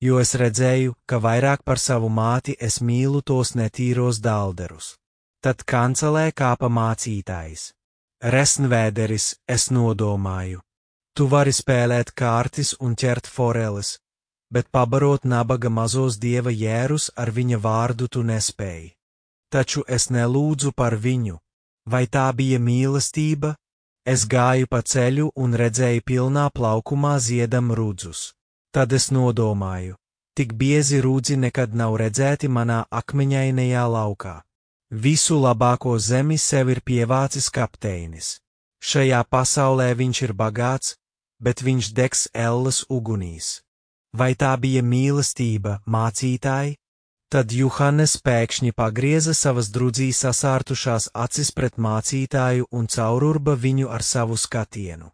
jo es redzēju, ka vairāk par savu māti es mīlu tos netīros dalderus. Tad kancelē kāpa mācītājs. Resnvēderis, es nodomāju. Tu vari spēlēt kārtis un ķert foreles, bet pabarot nabaga mazos dieva jērus ar viņa vārdu tu nespēji. Taču es nelūdzu par viņu. Vai tā bija mīlestība? Es gāju pa ceļu un redzēju pilnā plaukumā ziedam rudzus. Tad es nodomāju, tik biezi rudzi nekad nav redzēti manā akmeņainajā laukā. Visu labāko zemi sev ir pievācis kapteinis. Šajā pasaulē viņš ir bagāts, bet viņš degs ellas ugunīs. Vai tā bija mīlestība, mācītāji? Tad Juhannes pēkšņi pagrieza savas drudzī sasārtušās acis pret mācītāju un caururba viņu ar savu skatienu.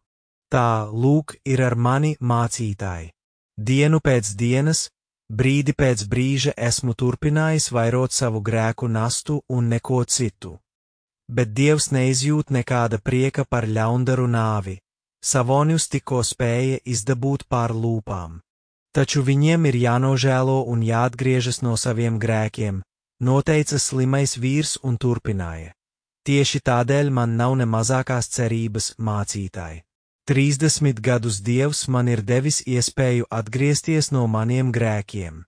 Tā, lūk, ir ar mani, mācītāji. Dienu pēc dienas, brīdi pēc brīža esmu turpinājis vairot savu grēku nastu un neko citu. Bet Dievs neizjūt nekāda prieka par ļaundaru nāvi. Savonius tikko spēja izdabūt pār lūpām. Taču viņiem ir jānožēlo un jāatgriežas no saviem grēkiem, noteica slimais vīrs un turpināja. Tieši tādēļ man nav ne mazākās cerības, mācītāji. 30 gadus Dievs man ir devis iespēju atgriezties no maniem grēkiem.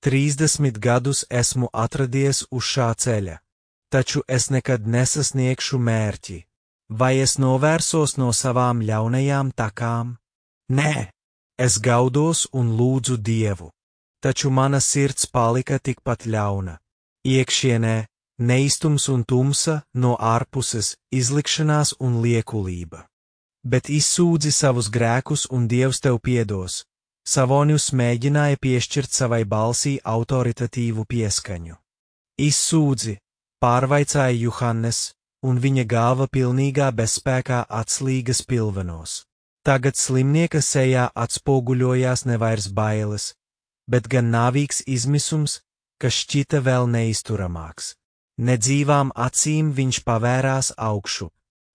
30 gadus esmu atradies uz šā ceļa, taču es nekad nesasniegšu mērķi. Vai es novērsos no savām ļaunajām takām? Nē! Es gaudos un lūdzu Dievu, taču mana sirds palika tikpat ļauna. Iekšienē neistums un tumsa, no ārpuses izlikšanās un liekulība. Bet izsūdzi savus grēkus un Dievs tev piedos. Savonius mēģināja piešķirt savai balsī autoritatīvu pieskaņu. Izsūdzi, pārvaicāja Juhannes, un viņa galva pilnīgā bezspēkā atslīga spilvenos. Tagad slimnieka sejā atspoguļojās nevairs bailes, bet gan nāvīgs izmisums, kas šķita vēl neizturamāks. Nedzīvām acīm viņš pavērās augšu.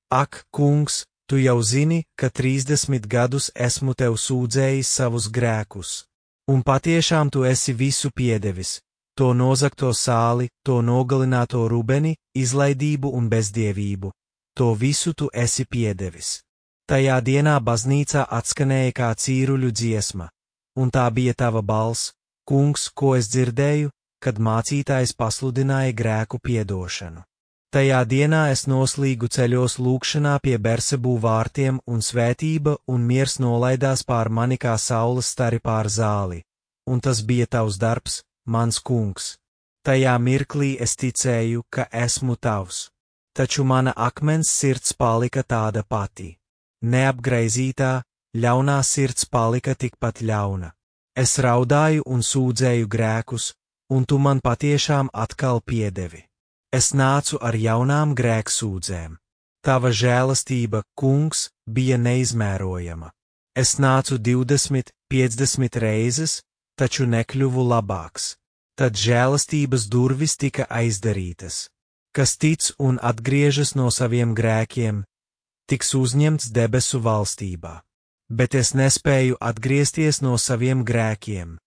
Ak, kungs, tu jau zini, ka 30 gadus esmu tev sūdzējis savus grēkus. Un patiešām tu esi visu piedevis, to nozagto sāli, to nogalināto rubeni, izlaidību un bezdievību. To visu tu esi piedevis. Tajā dienā baznīcā atskanēja kā cīruļu dziesma, un tā bija tava balss, kungs, ko es dzirdēju, kad mācītājs pasludināja grēku piedošanu. Tajā dienā es noslīgu ceļos lūgšanā pie Bersebū vārtiem, un svētība un miers nolaidās pār mani kā saules stari pār zāli, un tas bija tavs darbs, mans kungs. Tajā mirklī es ticēju, ka esmu tavs, taču mana akmens sirds palika tāda pati. Neapgraizītā, ļaunā sirds palika tikpat ļauna. Es raudāju un sūdzēju grēkus, un tu man patiešām atkal piedevi. Es nācu ar jaunām grēksūdzēm. Tava žēlastība, kungs, bija neizmērojama. Es nācu 20, 50 reizes, taču nekļuvu labāks. Tad žēlastības durvis tika aizdarītas. Kas tic un atgriežas no saviem grēkiem, tiks uzņemts debesu valstībā. Bet es nespēju atgriezties no saviem grēkiem.